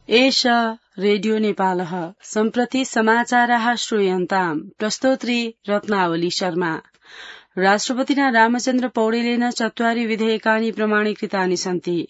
एष रेडियो नेपालः सम्प्रति समाचाराः श्रूयन्ताम् प्रस्तोत्री रत्नावली शर्मा। राष्ट्रपतिना रामचन्द्र पौडेलेन 4 विधेयकानि प्रमाणीकृतानि सन्ति।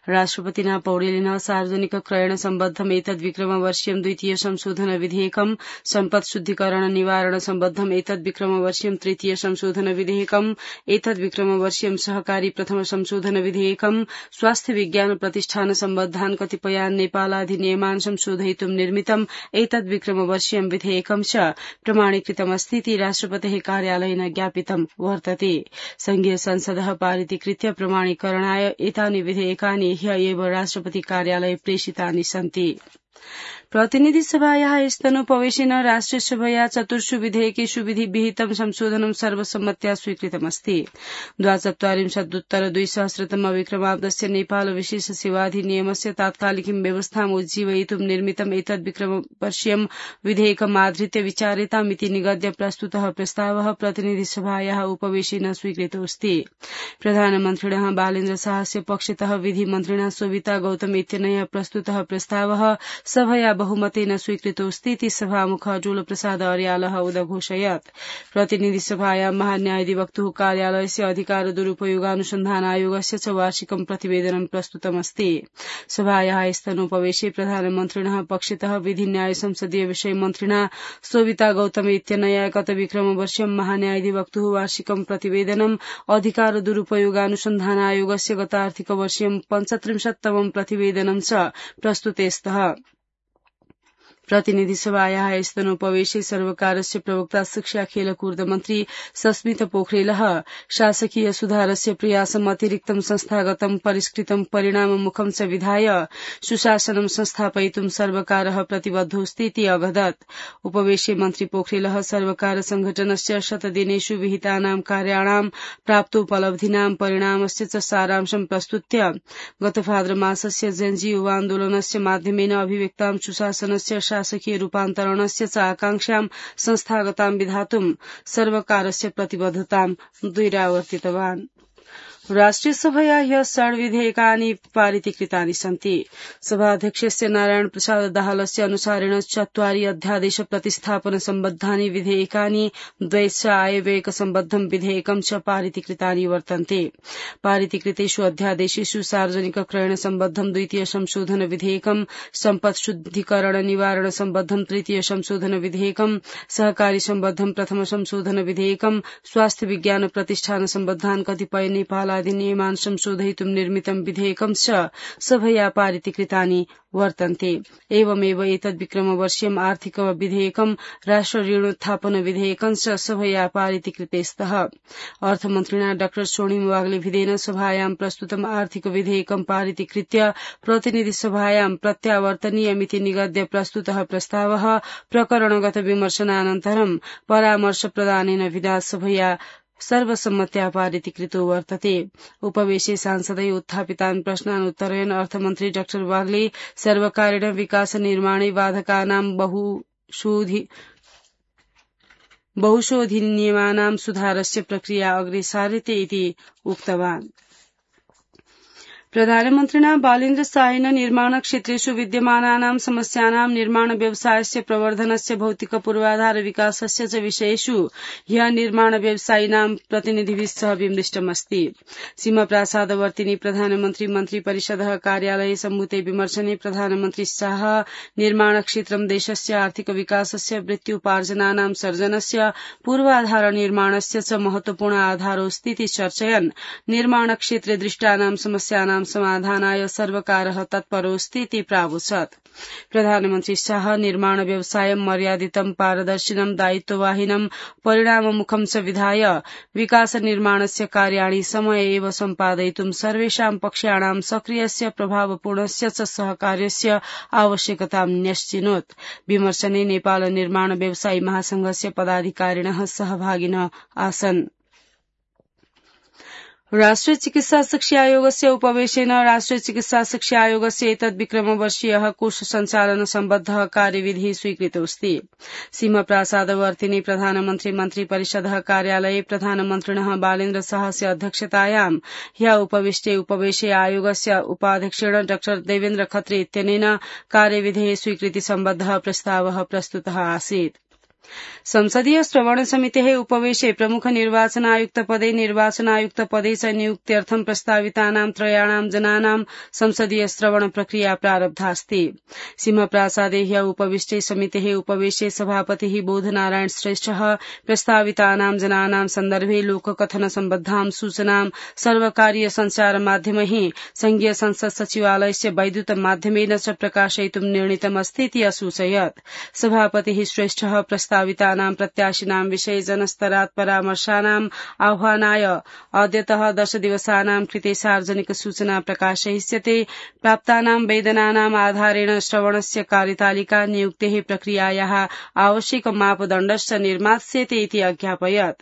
राष्ट्रपतिना पौडेलेन सार्वजनिक क्रयण सम्बद्धम् एतद्विक्रमवर्ष्यम् द्वितीय संशोधन विधेयकम्, सम्पत् शुद्धिकरण निवारण सम्बद्धम् एतद्विक्रमवर्ष्यम् तृतीय संशोधन विधेयकम्, एतद्विक्रमवर्ष्यम् सहकारी प्रथम संशोधन विधेयकम्, स्वास्थ्य विज्ञान प्रतिष्ठान सम्बद्धान् कतिपयान् नेपालाधिनियमान् संशोधयितुम् निर्मितम् एतद्विक्रमवर्ष्यम् विधेयकम् च प्रमाणीकृतमस्तीति राष्ट्रपतेः कार्यालयेन ज्ञापितम् वर्तते। संघीय संसदः पारितीकृत्य प्रमाणीकरणाय एतानि विधेयकानि ह्य एव राष्ट्रपति कार्यालये प्रेषितानि सन्ति। प्रतिनिधि सभायाः स्तनोपवेशेन राष्ट्रिय सभया 4 विधेयकेषु विधिविहितं संशोधनं सर्वसम्मत्या स्वीकृतमस्ति। 24-2000 विक्रमाब्दस्य नेपाल विशेष सेवाधिनियमस्य तात्कालिकीं व्यवस्थाम् उज्जीवयितुं निर्मितम् एतद्विक्रमवर्ष्यम् विधेयकम् आधृत्य विचार्यतामिति निगद्य प्रस्तुतः प्रस्तावः प्रतिनिधि सभायाः उपवेशेन स्वीकृतोऽस्ति। प्रधानमन्त्रिणः बालेन्द्र शाहस्य पक्षतः विधिमन्त्रिणा शोभिता गौतम इत्यनया प्रस्तुतः प्रस्तावः सभया बहुमतेन स्वीकृतोऽस्तीति सभामुख अटूल प्रसाद अर्यालः उदघोषयत्। प्रतिनिधि सभायां महान्यायाधिवक्तुः कार्यालयस्य अधिकार दुरुपयोगानुसन्धान आयोगस्य च वार्षिकं प्रतिवेदनं प्रस्तुतमस्ति। सभायाः स्तनोपवेशे प्रधानमन्त्रिणः पक्षतः विधि न्याय संसदीय विषय मन्त्रिणा शोभिता गौतम इत्यनया गत विक्रमवर्ष्यं महान्यायाधिवक्तुः वार्षिकं प्रतिवेदनम् अधिकार दुरुपयोगानुसन्धान आयोगस्य गत आर्थिक वर्ष्यं 35तमं प्रतिवेदनं च प्रस्तुते स्तः। प्रतिनिधि सभायाः स्तनोपवेशे सर्वकारस्य प्रवक्ता शिक्षा खेलकूद मन्त्री सस्मित पोखरेलः शासकीय सुधारस्य प्रयासम् अतिरिक्तं संस्थागतं परिष्कृतं परिणाममुखं च विधाय सुशासनं संस्थापयितुं सर्वकारः प्रतिबद्धोऽस्तीति अवदत्। उपवेशे मन्त्री पोखरेलः सर्वकार संघटनस्य शतदिनेषु विहितानां कार्याणां प्राप्तोपलब्धीनां परिणामस्य च सारांशं प्रस्तुत्य गत भाद्रमासस्य जेन्जी युवान्दोलनस्य माध्यमेन अभिव्यक्तां सुशासनस्य शासकीय रूपान्तरणस्य च आकांक्षां संस्थागतां विधातुं सर्वकारस्य प्रतिबद्धतां द्विरावर्तितवान्। राष्ट्रिय सभया ह्य 4 विधेयकानि पारितीकृतानि सन्ति। सभाध्यक्षस्य नारायण प्रसाद दाहालस्य अनुसारेण 4 अध्यादेश प्रतिस्थापन सम्बद्धानि विधेयकानि, द्वैश्च आयव्ययक सम्बद्धं विधेयकं च पारितीकृतानि वर्तन्ते। पारितीकृतेषु अध्यादेशेषु सार्वजनिक क्रयण सम्बद्धं द्वितीय संशोधन विधेयकं, सम्पत् शुद्धिकरण निवारण सम्बद्धं तृतीय संशोधन विधेयकं, सहकारी सम्बद्धं प्रथम संशोधन विधेयकं, स्वास्थ्य विज्ञान प्रतिष्ठान सम्बद्धान् कतिपय नेपाल अधिनियमान् संशोधयितुं निर्मितं विधेयकं च सभया पारितीकृतानि वर्तन्ते। एवमेव एतद्विक्रमवर्ष्यम् आर्थिक विधेयकं, राष्ट्र ऋणोत्थापन विधेयकं च सभया पारितीकृते स्तः। अर्थमन्त्रिणा डाक्टर स्वर्णिम वाग्लेभिदेन सभायां प्रस्तुतम् आर्थिक विधेयकं पारितीकृत्य प्रतिनिधि सभायां प्रत्यावर्तनीयमिति निगद्य प्रस्तुतः प्रस्तावः प्रकरणगत विमर्शनानन्तरं परामर्श प्रदानेन विना सभया सर्वसम्मत्या पारितीकृतो वर्तते। उपवेशे सांसदै उत्थापितान् प्रश्नान् उत्तरयन् अर्थमन्त्री डाक्टर वाग्ले सर्वकारेण विकास निर्माणे बाधकानां बहुशोधिनियमानां सुधारस्य प्रक्रिया अग्रे सार्यते इति उक्तवान्। प्रधानमन्त्रिणा बालेन्द्र शाहेन निर्माण क्षेत्रेषु विद्यमानानां समस्यानां निर्माण व्यवसायस्य प्रवर्धनस्य भौतिक पूर्वाधार विकासस्य च विषयेषु ह्यः निर्माण व्यवसायिनां प्रतिनिधिभिः सह विमृष्टमस्ति। सीमाप्रासादवर्तिनि प्रधानमन्त्री मन्त्री परिषदः कार्यालये सम्भूते विमर्शने प्रधानमन्त्री शाह निर्माण क्षेत्रं देशस्य आर्थिक विकासस्य वृत्त्युपार्जनानां सर्जनस्य पूर्वाधार निर्माणस्य च महत्वपूर्ण आधारोऽस्तीति चर्चयन् निर्माण क्षेत्रे दृष्टानां समस्यानां समाधानाय सर्वकारः तत्परोऽस्तीति प्रावोचत्। प्रधानमन्त्री शाह निर्माण व्यवसायं मर्यादितं पारदर्शिनं दायित्ववाहिनं परिणाममुखं च विधाय विकास निर्माणस्य कार्याणि समय एव सम्पादयितुं सर्वेषां पक्षाणां सक्रियस्य प्रभावपूर्णस्य च सहकार्यस्य आवश्यकतां न्यश्चिनोत्। विमर्शने नेपाल निर्माण व्यवसायी महासंघस्य पदाधिकारिणः सहभागिनः आसन्। राष्ट्रिय चिकित्सा शिक्षा आयोगस्य उपवेशेन राष्ट्रिय चिकित्सा शिक्षा आयोगस्य एतद्विक्रमवर्षीयः कोष सञ्चालन सम्बद्धः कार्यविधिः स्वीकृतोऽस्ति। सिंहप्रासादवर्तिनि प्रधानमन्त्री मन्त्रिपरिषदः कार्यालये प्रधानमन्त्रिणः बालेन्द्र शाहस्य अध्यक्षतायां ह्यः उपवेशे आयोगस्य उपाध्यक्षेण डॉ देवेन्द्र खत्री इत्यनेन कार्यविधेः स्वीकृति सम्बद्धः प्रस्तावः प्रस्तुतः आसीत्। संसदीय श्रवण समितेः उपवेशे प्रमुख निर्वाचन आयुक्त पदे च नियुक्त्यर्थं प्रस्तावितानां त्रयाणां जनानां संसदीय श्रवण प्रक्रिया प्रारब्धास्ति। सिंहप्रासादे ह्यः उपविष्टे समितेः उपवेशे सभापतिः बोधनारायण श्रेष्ठः प्रस्तावितानां जनानां सन्दर्भे लोककथन सम्बद्धां सूचनां सर्वकारीय संचार माध्यमैः संघीय संसद सचिवालयस्य वैद्युत माध्यमेन च प्रकाशयितुं निर्णीतमस्तीति असूचयत्। सभापतिः श्रेष्ठः प्रस्तावितानां प्रत्याशिनां विषये जनस्तरात् परामर्शानाम् आह्वानाय अद्यतः 10 दिवसानां कृते सार्वजनिक सूचना प्रकाशयिष्यते। प्राप्तानां वेदनानाम् आधारेण श्रवणस्य कार्यतालिका नियुक्तेः प्रक्रियायाः आवश्यक मापदण्डश्च निर्मास्यते इति अज्ञापयत्।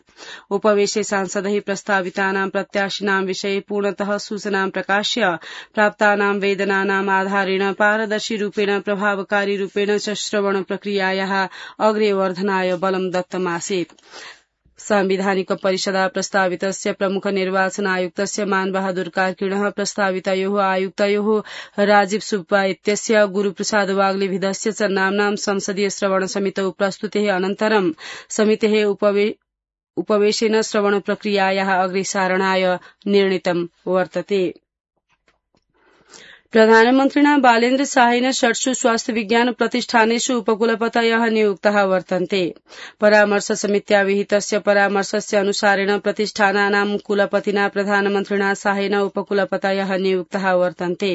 उपवेशे सांसदैः प्रस्तावितानां प्रत्याशिनां विषये पूर्णतः सूचनां प्रकाश्य प्राप्तानां वेदनानाम् आधारेण पारदर्शी रूपेण प्रभावकारी रूपेण च श्रवण प्रक्रियायाः अग्रे वर्धनाय बलं दत्तमासीत्। सांविधानिक परिषदा प्रस्तावितस्य प्रमुख निर्वाचन आयुक्तस्य मानबहादुर कार्कीणः प्रस्तावितयोः आयुक्तयोः राजीव सुब्बा इत्यस्य गुरुप्रसाद वाग्लेभिदस्य च नाम्नां संसदीय श्रवण समितौ प्रस्तुतेः अनन्तरं समितेः उपवेशेन श्रवण प्रक्रियायाः अग्रेसारणाय निर्णीतं वर्तते। प्रधानमन्त्रिणा बालेन्द्र शाहेन 6 स्वास्थ्य विज्ञान प्रतिष्ठानेषु उपकुलपतयः नियुक्ताः वर्तन्ते। परामर्श समित्या विहितस्य परामर्शस्य अनुसारेण प्रतिष्ठानानां कुलपतिना प्रधानमन्त्रिणा शाहेन उपकुलपतयः नियुक्ताः वर्तन्ते।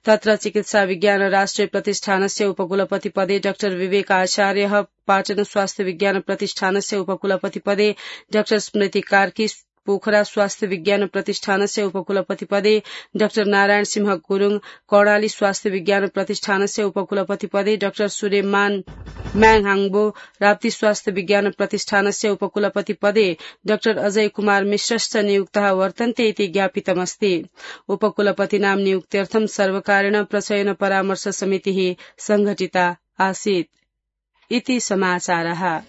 तत्र चिकित्सा विज्ञान राष्ट्रिय प्रतिष्ठानस्य उपकुलपति पदे डॉ विवेक आचार्यः, पाटन स्वास्थ्य विज्ञान प्रतिष्ठानस्य उपकुलपति पदे डॉ स्मृति कार्की, पोखरा स्वास्थ्य विज्ञान प्रतिष्ठानस्य उपकुलपति पदे डॉ नारायण सिंह गुरुङ, कर्णाली स्वास्थ्य विज्ञान प्रतिष्ठानस्य उपकुलपति पदे डॉ सुरेमान म्याङहाङ्बो, राप्ती स्वास्थ्य विज्ञान प्रतिष्ठानस्य उपकुलपति पदे डॉ अजय कुमार मिश्रश्च नियुक्ताः वर्तन्ते इति ज्ञापितमस्ति। उपकुलपतीनां नियुक्त्यर्थं सर्वकारेण प्रचयन परामर्श समितिः संघटिता आसीत् इति समाचारः।